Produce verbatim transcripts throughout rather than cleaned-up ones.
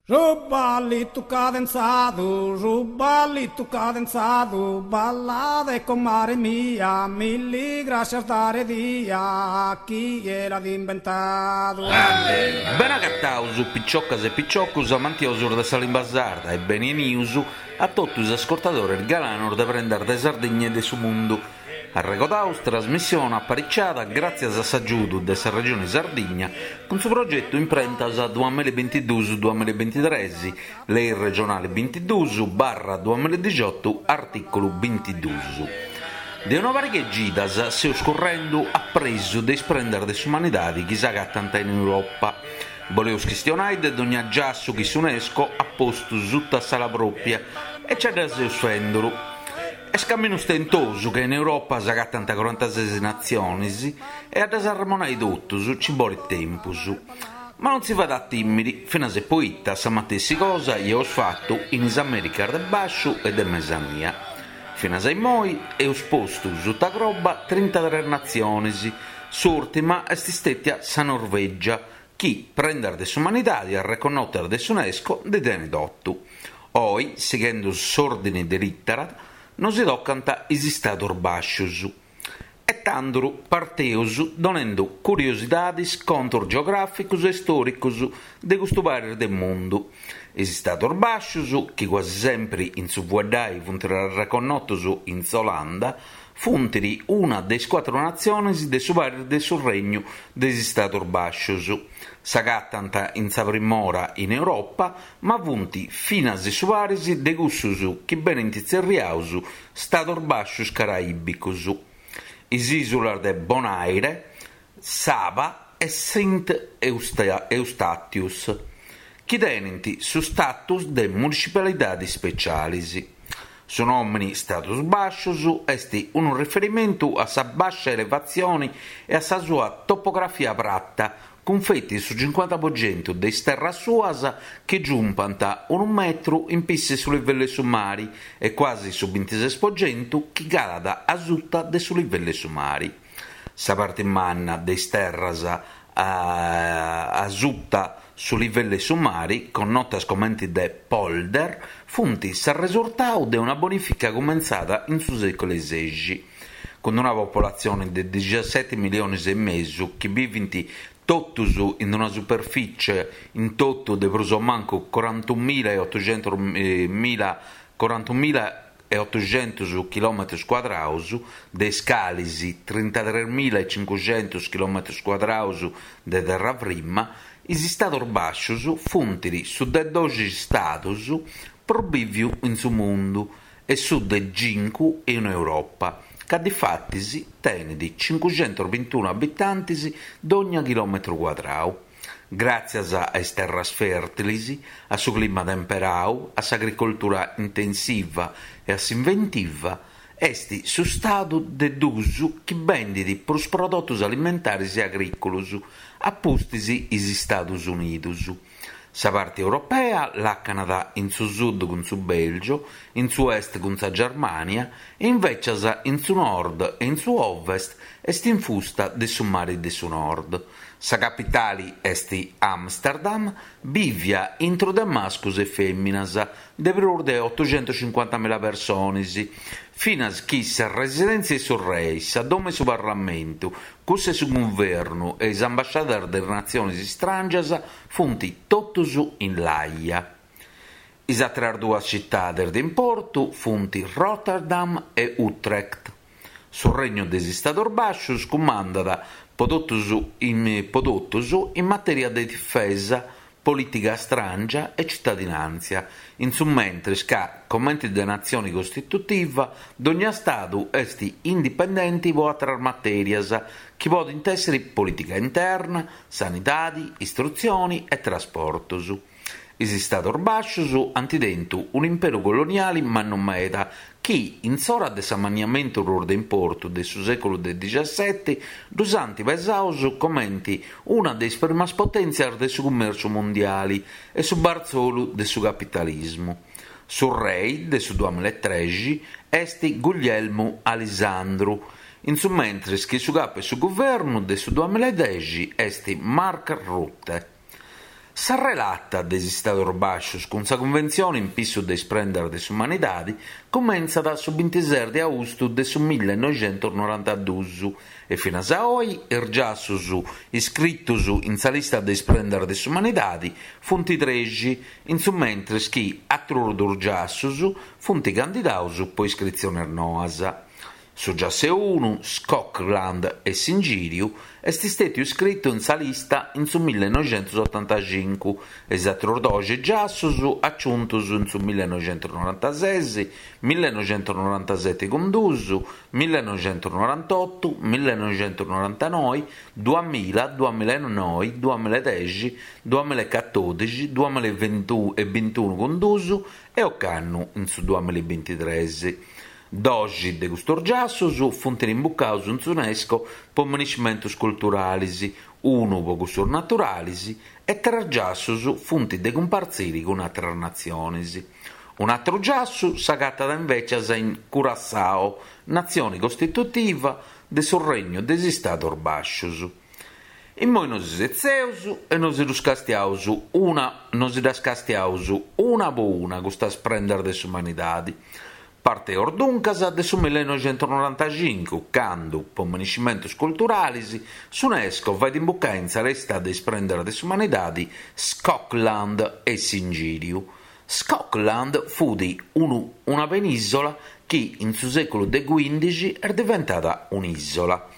Su ballitu cadenzadu, su ballitu cadenzadu, ballade comare mia, milli grascias dare dia, chie l'at imbentadu. Bene agataus, piciocas e piciocus amantiosus de sa limba sarda e beni 'enius a totu is ascurtadores galanos de Prendas de Sardigna e de su Mundu. Arregodaus trasmissione apariciada gràtzias a s'agiudu de sa Regione Sardigna cun su progetu Imprentas duamilla e bintiduus duamilla e bintitres, Lei regionale bintiduus barra duamilla e dixiotu artìculu bintiduus. De una pariga 'e cidas seus currendu a presu de is prendas de s'umanidadi chi s'agatant in Europa. Boleus chistionai de dogna giassu chi s'UNESCO at postu suta s'ala pròpia e ce dda seus fenduru. Est caminu stentosu ca in Europa s'agatant corantases natziones e a ddas arremonai totus ci bolit tempus. Ma non si fait a tìmiri, finas e poita sa matessi cosa eus fatu in is Americas de Bàsciu e de Mesania. Finas a immoi eus postu suta croba trintatres natziones, s'ùrtima est stètia sa Norvègia, chi prendas de s'umanidadi arreconnotas de s'UNESCO ndi tenit otu. Oi, sighendu s'òrdini de lìtera, nos si tocant is Istados Bàscios. E tanduru parteus donendu curiosidades, contos geogràficos e istòricos de custu paris de mundu. Is Istados Bàscios, chi quasi sempri in su fueddai funt reconnotos in s'Olanda, funt una de is cuatru natziones de su paris de su Regnu de is Istados Bàscios. S'agatant in sa primora in Europa, ma funt finas su paris de cussus chi benint tzerriaus Stados Bàscios Caraìbicos. Is ìsulas de Bonaire, Saba e Sint Eustatius, chi tenint su status de municipalidades speciales. Su nòmine Stados Bàscios est unu riferimentu a sa bàscia elevatzione e a sa sua topografia prata, cun feti su cincuanta po centu de is terras suas chi giumpant unu metru in pissi su livellu 'e su mari e quasi su bintises po centu chi calat a suta de su livellu 'e su mari. Sa parte manna de is terras a, a suta su livellu 'e su mari, connotas comente de polder, funt s'arresurtau de una bonifica cumentzada in su sèculu sexi. Cun una popolatzione de diciaseti miliones e mesu chi bivint totus in una superficie in totu de prus o mancu corantumila e otocentos mila, corantumila e otocentos chilometros cuadraus, de is calis trintatres mila e cincucentos chilometros cuadraus de terra frima, is Istados Bàscios funt su de doxi istados prus bìviu in su mundu e su de cincu in Europa, ca difatis tenet cincucentos bintunu abitantes dogna chilometru cuadrau. Gràtzias a is terras fèrtiles, a su clima temperau, a s'agricoltura intensiva e a s'inventiva, est su stadu de dus chi bendit prus prodotos alimentares e agrìcolos, a pustis is Istados Unidos. Sa parte europea làcanat in su sud cun su Belgio, in su est cun sa Germania e invecias in su nord e in su ovest est infusta de su mare de su nord. Sa capitale est Amsterdam, bivia intro de mascos e fèminas, de prus de otocentocincuantamila persones, finas chi sa residèntzia 'e su rei, sa domo 'e su Parlamentu, cussa 'e su Guvernu e is ambasciadas de is natziones istràngias funt totus in L'Aia. Is àteras duas citades de importu funt Rotterdam e Utrecht. Su Regnu de is Istados Bàscios cumandat po totus in, po totus in matèria de difesa, polìtica stràngia e citadinàntzia, in su mentres ca, comente de natzione costitutiva, dogna Stadu est indipendente po àteras matèrias, chi podent èssere polìtica interna, sanidade, istrutzione e trasportos. Is Istados Bàscios ant tentu un'imperu coloniale mannu meda chi, in s'ora de s'amanniamentu prus de importu de su sèculu de diciasete, ddus ant pesados comente una de is primas potèntzias de su cummèrciu mundiale e su bartzolu de su capitalismu. Su rei de su duamillaetrexi est Guglielmu Alisandru, in su mentres chi su capu 'e su guvernu de su duamillaedexi est Mark Rutte. Sa relata de is Stadus Bàscius cun sa Cunventzione in pissu de is prendas de s'umanidade cumentzat su bintises de austu de su millenoixentusnorantaduus e finas a oi is giassus iscritus in sa lista de is prendas de s'umanidade funt trexi, in su mentres chi atrus dus giassus funt candidados pro iscritziones noas. Su giassu unu, Schokland e s'ingìriu, est istètiu iscritu in sa lista in su millenoixentusotantacincu e is atrus doxi giassus aciuntos in su millenoixentusnorantases, millenoixentusnorantasete cun duus, millenoixentusnorantotto, millenoixentusnorantanoe, duamilla, duamillaenoe, duamillaedexi, duamillecatòdixi, duamillabintunu cun duus e ocannu in su duamillabintitres. Doxi de custos giassus funt imbucados in s'UNESCO pro miniscimentos culturales, unu pro cussos naturales e tres giassus funt de cumpartzire cun àteras natziones. Un'àteru giassu s'agatat invecias in Curaçao, natzione costitutiva de su Regnu de is Istados Bàscios. Immoi nos setzeus e nos ddas castiaus una, nos ddas castiaus una po una custas prendas de s'umanidade. Parteus duncas de su millenoixentusnorantacincu, cando, pro miniscimentos culturales, s'UNESCO fait imbucare in sa lista de is prendas de s'umanidade Schokland e s'ingìriu. Schokland fut unu, una penìsola chi in su sèculu de quìndixi est diventada un'ìsola.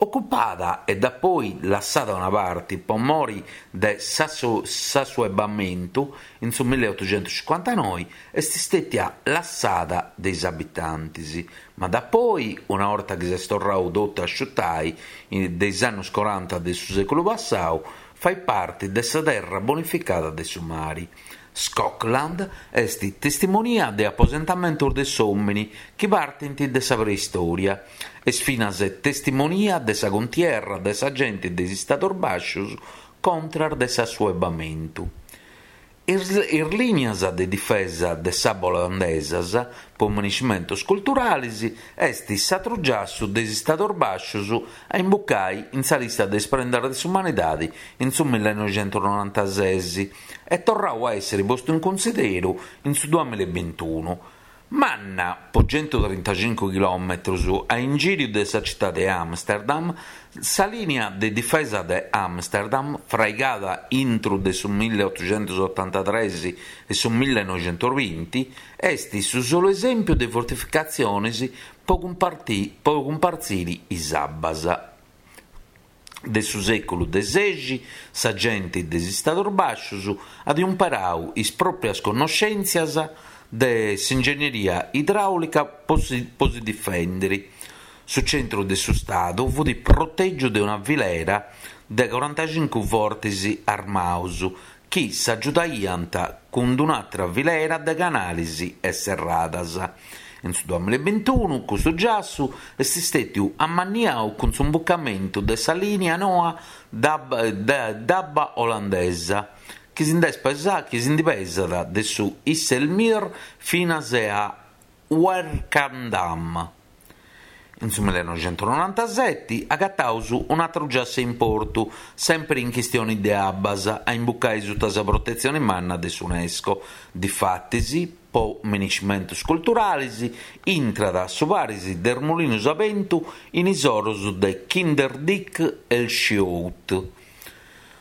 Ocupada e dapoi lassada una parte pro mori de s'assuebamentu in su milleottocentocinquantanoe est istètia lassada de is abitantes, ma dapoi, una orta chi s'est torradu totu a asciuttare de is annos quaranta de su sèculu passadu, fait parte de sa terra bonificada de su mare. Schokland est testimonia de aposentamentos de s'òmine chi partint de sa preistoria. Est finas testimonia de sa contierra de sa gente de is Istados Bàscios contra de s'assuebamentu. Is, is lìnias de difesa de s'abba olandesas pro miniscimentos culturales est s'atru giassu de is Istados Bàscios a imbucare in sa lista de is prendas de s'umanidade in su millenoixentusnorantases e torradu a èssere postu in cunsideru in su duamillabintunu. Manna po centotrintacincu chilòmetros a ingìriu de sa citade de Amsterdam, sa lìnia de difesa de Amsterdam, fraigada intro de su milleottocentoottantatres e su millenoixentosbinti, est su solu esèmpiu de fortificatziones pro pro cumpartzire is abbas. De su sèculu de sexi, sa gente de is Istados Bàscios at imparadu is pròpias connoschèntzias de s'ingegneria idràulica pro si, pro si difendere. Su centru de su Stadu fut protègiu de una filera de quarantacincu fortes armados chi s'agiudaiant cun un'àtera filera de canales e serradas. In su duamillabintunu custu giassu est istètiu ammanniadu cun s'imbucamentu de sa lìnia noa d'abba olandesa, chi si nd'est pesa, chi si ndi pesat de su IJsselmeer finas a Werkendam. In su millenoixentusnorantasete agataus un'àteru giassu in portu, sempre in chistione de abbas, a imbucare sutta sa protetzione manna de s'UNESCO. Difatis, pro miniscimentos culturales, intrat su paris de Mulinos a bentu in is oros de Kinderdijk e Schoot.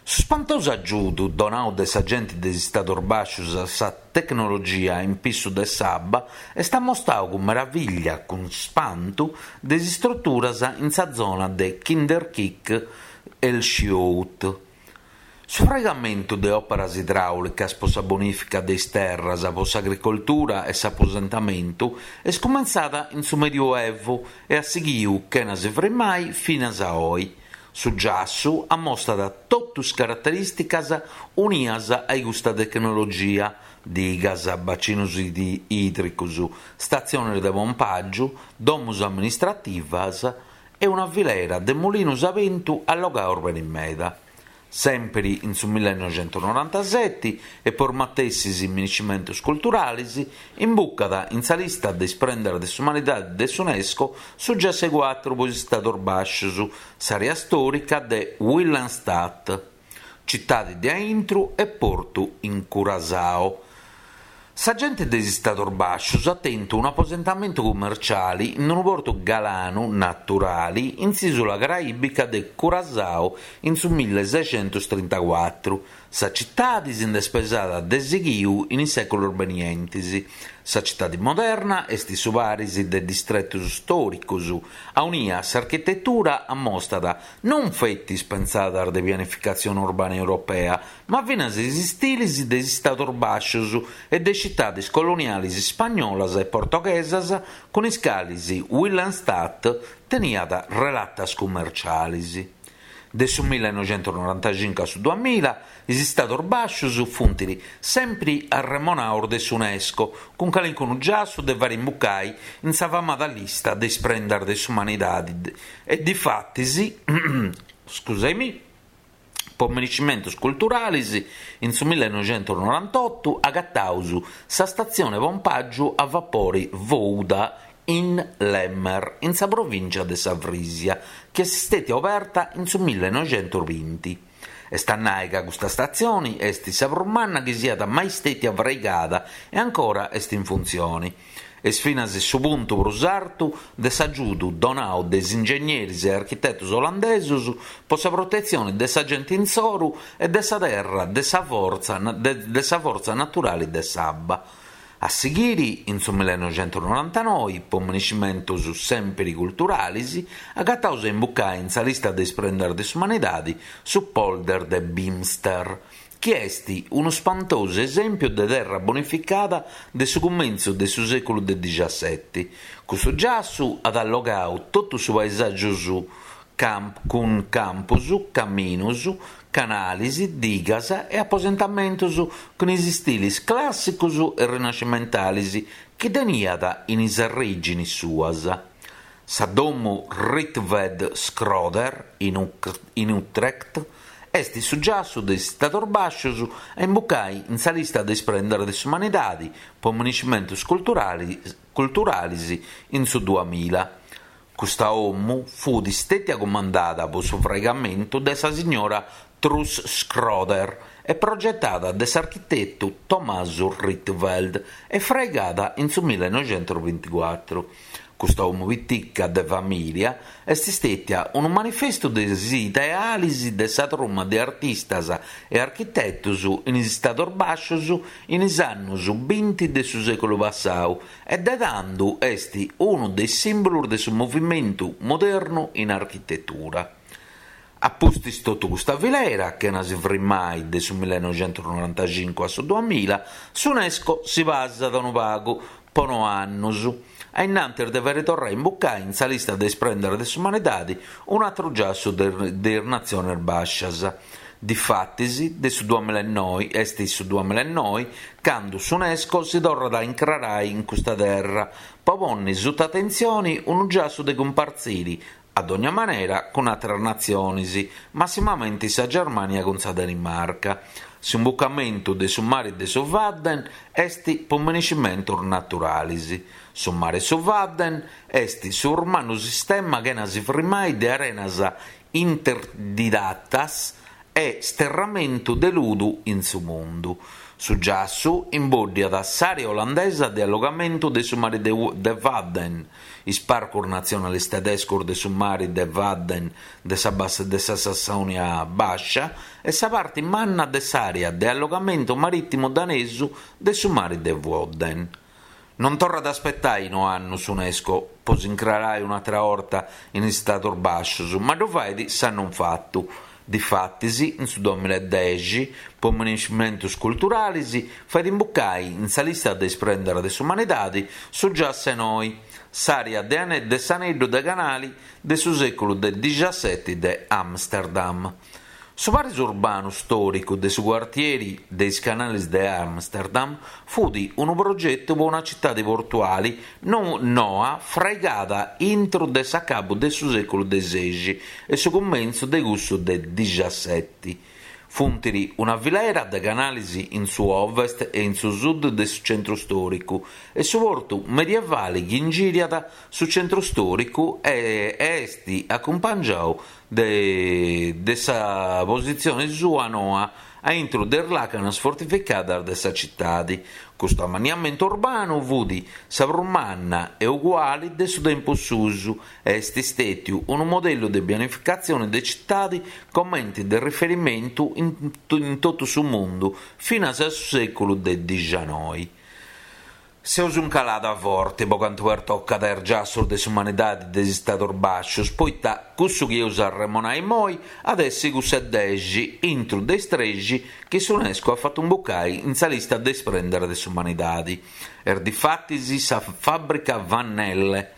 Su spantosu agiudu donadu de sa gente de is Istados Bàscios a sa tecnologia in pissu de s'abba est ammostadu cun meraviglia, cun spantu, de is istruturas in sa zona de Kinderdijk e Schoot. Su fraigamentu de òperas idràulicas pro sa bonifica de is terras, pro s'agricoltura e s'aposentamentu est cumentzada in su Medioevo e at sighidu, chena si frimmai, finas a oi. Su giassu ammostat totus is caraterìsticas unias a custa tecnologia: digas, bacinos ìdricos, statziones de pompàgiu, domos amministrativas e una filera de mulinos a bentu allogados bene meda. Sempre in su millenoixentusnorantasete e por matessis miniscimentos culturales, imbucat in sa lista de is prendas de s'umanidade de s'UNESCO su giassu cuatru pro is Istados Bàscios, s'àrea stòrica de Willemstad. Cittadi de Aintru e Portu in Curaçao. Sa gente de is Istados Bàscios at tentu un'aposentamentu cummerciale in unu portu galanu naturale in s'ìsula caraìbica de Curaçao in su milleseicentotrintacuatro. Sa citade si nd'est pesada de sighiu in is sèculos benientes. Sa citade moderna est su paris de distretos istòricos, aunia s'architetura ammostat non feti is pensadas de pianificatzione urbana europea, ma finas is istiles de is Istados Bàscios e de citades coloniales ispagnolas e portoghesas cun is cales Willemstad teniat relatas cummerciales. De su millenoicentosnorantacincu a su duamilla, is Istados Bàscios funt sempri arremonados de s'UNESCO, cun calincunu giassu de fàere imbucare in sa famada lista de is prendas de s'umanidade e difatis, scusami, po merescimentos culturales, in su millenoicentosnorantotto agataus sa statzione pompàgiu a vapore Gouda in Lemmer, in sa provincia de sa Frisia, chi est stata aperta in su millenoicentosbinti. Est a nai ca custa statzione est sa prus manna chi siat mai stata fraigada e ancora est in funtzione. Est finas su puntu prus artu de s'agiudu donadu de is ingegneris e architetos olandesos po sa protetzione de sa gente insoru e de sa terra de sa fortza, de, de sa fortza naturale de s'abba. A sighiri, in su millenoicentosnorantanoi, po merescimentos sempre culturales, agataus a imbucare in sa lista de is prendas de s'umanidade su polder de Beemster, chi est unu spantosu esempio de terra bonificada de su cumentzu de su seculu de diciassette. Custu giassu at allogadu totu su paesàgiu su camp, cun campos, caminos, canales, digas e aposentamentos cun is istiles clàssicos e rinascimentales chi teniat in is orìgines suas. Sa domo Rietveld Schröder in, in Utrecht est su giassu de is Istados Bàscios a imbucare in sa lista de is prendas de s'umanidade po merescimentos culturales, culturales in su duamilla. Custa omu fu stetia comandada po su fraigamentu de sa signora Truus Schröder e progettada de s'architetto Tommaso Rietveld e fraigada in su millenoicentosbinticuatro. Custa omu pitica de famiglia est stetia un manifesto de is ideales de sa truma de artistas e architetos in is Istados Bàscios in is annos binti de su seculu passadu e de tando est unu dei símbolos de su movimentu modernu in architetura. A pustis totu custa filera, chena si frimmai de su millenoicentosnorantacincu a su duamilla, s'UNESCO si pasat unu pagu po no annos, a innantis de fàere torrare a imbucare in sa lista de is prendas de s'umanidade un atru giassu de, de is Natziones Bàscias. Difatis, de su duamillaenoi, est su duamillaenoi, cando s'UNESCO si torrat a incrarare in custa terra, po ponni sutta atentzione unu giassu de cumpartzire, ad ogni manera, con altre nazioni, massimamente sa Germania con sa Danimarca. S'imbucamento de su mare de su Wadden est po merescimentos naturales. Su mare su Wadden est su romano sistema che si frimmai de arenas interdidatas e sterramento de ludu in su mundu. Su giassu imboddiat s'area olandesa de allogamento de su mare de, de Wadden, is parcos nazionales tedescos de su mare de Wadden de sa, bassa, de sa Sassonia Bascia e sa parte manna de s'area de allogamento marittimo danesu de su mare de Wadden. Non torra ad aspettare no annos UNESCO po s'incrarare un'altra orta in Istados Bàscios, ma ddu fait s'anno fattu. Difatis, in su duemillaedexi, po merescimentos culturales, fait imbucare in sa lista de is prendas de s'umanidade su Giassenoi, s'area de, de s'aneddu de canali de su seculu de diciassette de Amsterdam. Su paris urbanu storicu de su quartieri dei canali de Amsterdam fu un progetto per una città portuale non noa fraigada intro de s'acabu de su seculu de seixi e su cumentzu de cussu de diciassette. Funtiri una filera de canalis in su ovest e in su sud de su centru storicu e su portu medievali chi ingiriat su centru storicu e est acumpangiau de, de sa positzione sua noa a intro de is làcanas fortificadas de sa citadi. Custu amanniamentu urbanu fut sa prus manna e uguali de su tempus susu e est stètiu unu modellu de pianificatzione de citadi comente de riferimentu in, in totu su mundu finas a su sèculu de dicianoi. Seus in calada forti po cantu pertocat is giassus de s'umanidadi de is Stadus Bascius, poita cussu chi eus a arremonai immoi at essi cussu de dexi intru de is trexi chi s'UNESCO at fatu imbucai in sa lista de is prendas de s'umanidadi. Est difatis sa fàbrica Van Nelle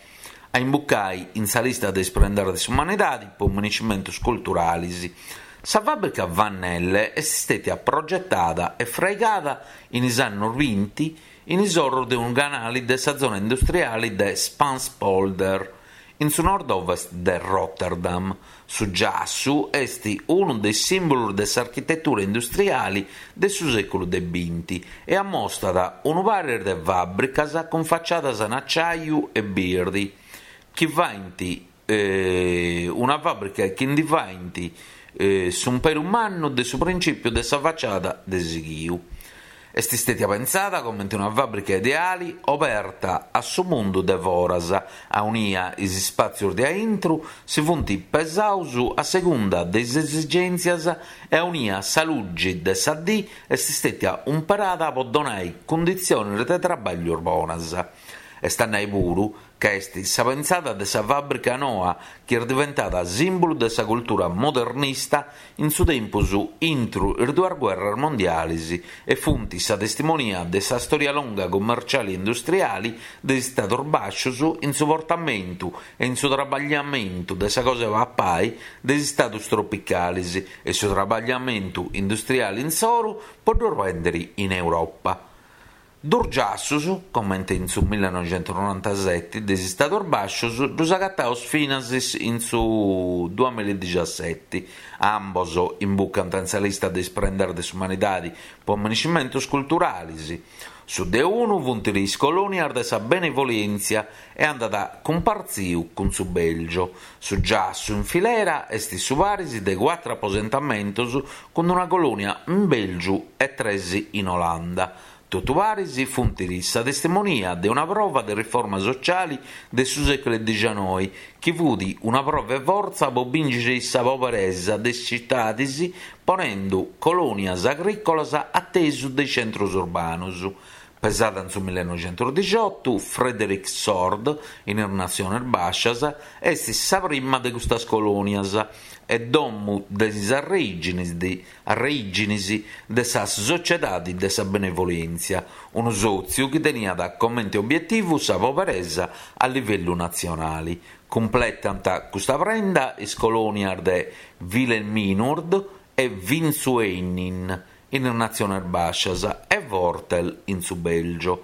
a imbucai in sa lista de is prendas de s'umanidadi po amenescimentus culturalis. Sa fàbrica Van Nelle est stètia progetada e fraigada in is annos binti in is orros de unu canali de sa zona industriali de Spaanse polder, in su nord-ovest de Rotterdam. Su giassu est unu de is sìmbulos de s'architetura industriali de su sèculu de binti e ammostat unu paris de fàbricas cun faciadas in acciaiu e birdi, chi faint eh, una fàbrica chi ndi faint eh, s'umperu mannu de su principiu de sa faciada de sighiu. Est stètia pensada comente una fàbrica ideali oberta a su mundu de foras, aunia is spàtzios de aintru si funt pesaus a segunda de is esigèntzias e aunia sa lugi de sa dì est stètia umperada po donai cunditziones de traballu bonas. Est a nai puru ca est sa pensada de sa fàbrica noa chi est diventada sìmbulu de sa cultura modernista in su tempus intru is duas guerras mondialis e funt sa testimonia de sa storia longa commerciali e industriali de is Stadus Bascius in su portamentu e in su trabagliamentu de sa cosa 'e papai de is stadus tropicalis e su trabagliamentu industriali insoru po ddu bèndere in Europa. Dus giassus, comente in su millinoixentusnorantaseti, de is Stadus Bascius, ddus agataus finas in su duamilladixaseti. Ambos imbucant in sa lista de is prendas de s'umanidadi po amenescimentus culturalis. Su de unu funt is colònias de sa benevolèntzia e andat cumpartziu cun su Belgio. Su giassu in filera est su paris de cuatru aposentamentos cun una colònia in Belgio e tres in Olanda. Totu paris funt sa testimonia de una prova de riforma sociali de su sèculu dicianoi, chi fut una prova 'e fortza po bìncere sa poberesa de is citadis ponendo colònias agrìcolas a tesu de is centros urbanos. Pesada in su millinoixentusdixiotu, Frederiksoord, in is Natziones Bascias, est sa prima de custas colònias e domu de is arrèginis de, arrèginis de sa Sociedade de sa Benevolèntzia, unu sòtziu chi teniat comente obietivu sa poberesa a livellu natzionali. Cumpletant custa prenda is colònias de Wilhelminoord e Wintzuhenin in is Natziones Bascias e Wortel in su Belgio.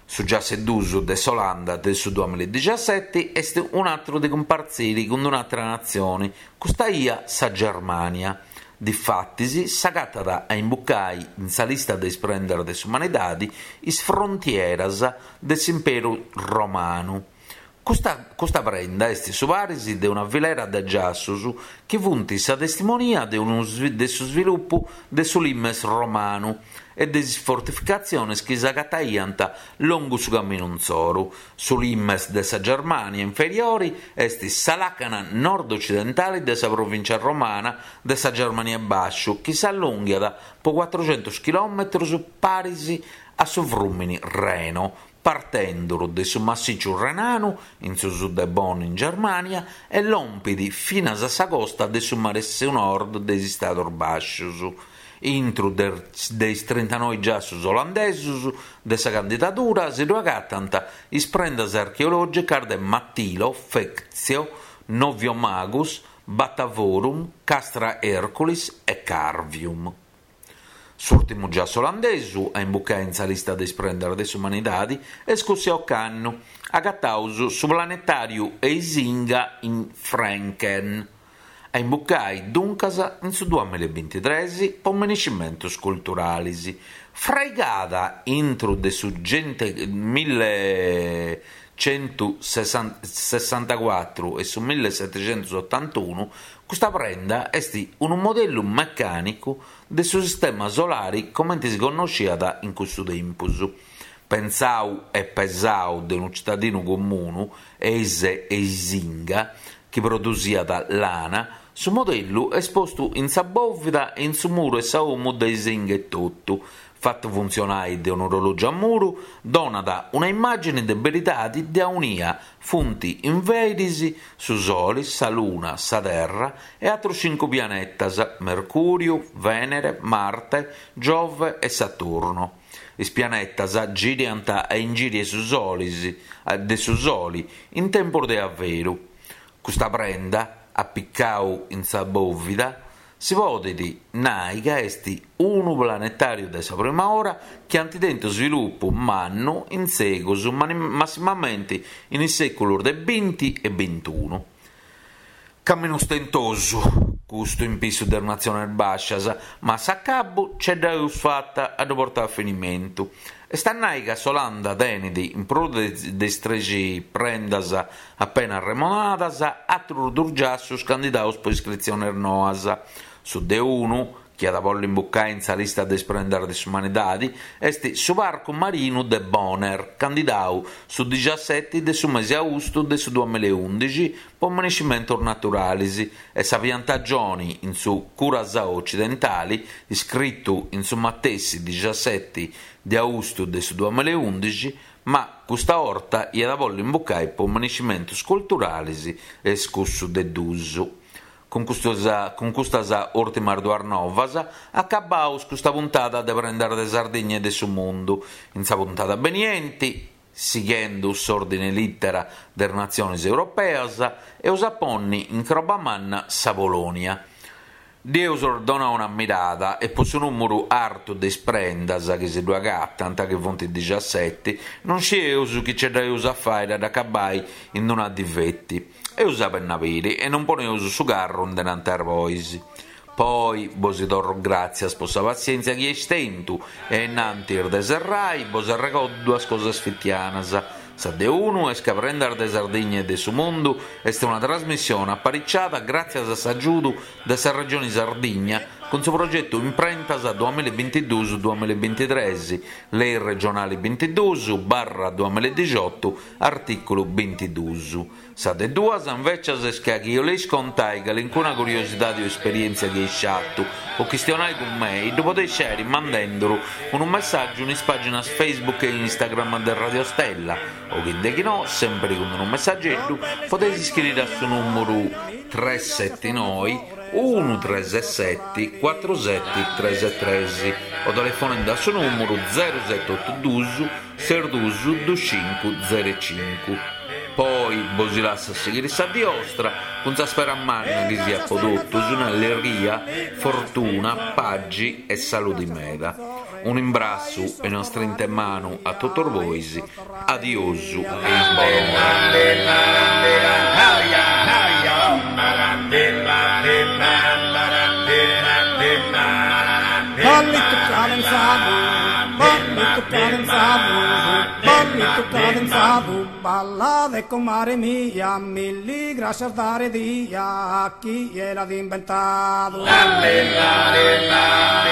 Su giassu dus de s'Olanda de su duamilladixaseti est un atru de cumpartziri cun un'atra natzione, custa ia sa Germania. Difatis s'agatat a imbucai in sa lista de is prendas de s'umanidadi is frontieras de s'Imperu Romanu. Custa, custa prenda est su paris de una filera de giassus chi funt sa testimonia de, unu, de su sviluppu de su limes romanu e de is fortificatziones chi s'agataiant longu su camminu insoru. Su limes de sa Germania inferiori est sa làcana nord-occidentale de sa provincia romana de sa Germania Basciu chi s'allonghiat po cuatruxentus chilòmetros paris a su frùmini Reno, partendo de su massicciu renanu in su sud de Bonn in Germania e lompit finas a sa costa de su Mare Nord de is Stadus Bascius. Intru de, de is trintanoi giassus olandesus de sa candidadura si ddu agatant is prendas archeològicas de Matilo, Fectio, Noviomagus, Batavorum, Castra Herculis e Carvium. S'ùrtimu giassu olandesu a imbucai in sa lista de is prendas de s'umanidadi est cussu ocannu, agataus su planetàriu Eisinga in Frenken. A imbucai duncas in su duamilla e bintitres po minescimentus culturalis. Fraigada intro de su millecentosessantacuatru e su millesetecentosotantunu, custa prenda est unu modellu mecànicu de su sistema solare comente si connoschiat in cussu tempus. Pensadu e pesadu de unu cittadinu comunu, Eise Eisinga, chi produsiat lana, su modellu est postu in sa bòvida e in su muru 'e sa 'omu de Eisinga etotu. Fatu funtzionare de un'orològiu a muru, donat una immàgine de beridade de aunia funt inveris su Sole, sa Luna, sa Terra e àteros cincu pianetas, Mercùriu, Vènere, Marte, Giove e Saturno. Is pianetas giriant a ingìriu 'e su Solis, de su Soli in tempus de averu. Custa prenda, apicau in sa bòvida, si podet nai ca est unu planetàriu de sa prima ora chi ant tentu sviluppu mannu in segus, massimamente in is sèculos de binti e bintunu. Caminu stentosu, custu in pissu de is natziones bàscias, ma a s'acabu ce dd'eus fata a ddu portare a finimentu. Est a nai ca s'Olanda tenet, in prus de is trexi prendas appena arremonadas, àterus dus giassus candidados po iscritziones noas. Su de unu, chi at a bolli imbucai in sa lista de is prendas de s'umanidade, est su Parcu Marinu de Bonaire, candidadu su diciaseti de su mese austu de su duamilla e undixi po minescimentos naturales, e sa piantagione in su Curaçao occidentale, iscritu in su matessi diciaseti de austu de su duamilla e undixi, ma custa 'orta iat a bolli imbucai po minescimentos culturales est cussu de dus. Cun custas, cun custas ùrtimas duas novas acabaus custa puntada de Prendas de Sardigna e de su Mundu. In sa puntada beniente, sighendo s'ordine lìtera de is natziones europeas, eus a ponni in croba manna sa Polonia. Dd'eus donau una mirada e po su nùmeru artu de is prendas chi si ddu agatant, chi funt diciaseti, non scieus chi ce dd'eus a fai a dd'acabai in una dì feti. Eus a benni a biri e non poneus su carru indenanti a is bois. Poi bos torro gràtzias po sa passièntzia chi eis tentu e innantis de serrai bos arregordo duas cosas fitianas. Sa de unu est ca Prendas de Sardigna e de su Mundu est una trasmissione apariciada gràtzias a s'agiudu de sa Regione Sardigna cun su progetu Imprentas duamilla e bintiduus duamilla e bintitres, Lei regionale bintiduus barra duamilla e diciotto, artìculu bintiduus. Sa de duas, invecias, est ca chi 'oleis contai calincuna curiosidade o esperièntzia chi eis fatu o chistionai cun mei, ddu podeis fàere mandenduru unu messàgiu in is pàginas Facebook e Instagram de Radio Stella o chi de chi no, sempre cun unu messageddu, podeis iscriere a su nùmeru tres sette noi unu tres sette cuatru sette tres tres o telefonende a su nùmeru zero sette otu dus ses dus dus cincu zero cincu. Poi bos lasso a sighire sa die 'ostra cun sa spera manna chi siat po totus un'allegria, fortuna, pagi e saludi meda. Un imbrassu e una strinta 'e manu a totus bois. Adiosu e in bonora. Ballito cadenzado, ballito cadenzado, ballito cadenzado, balla de comare mia, mille gracias dare dia a chi l'ha inventado. La, la, la, la.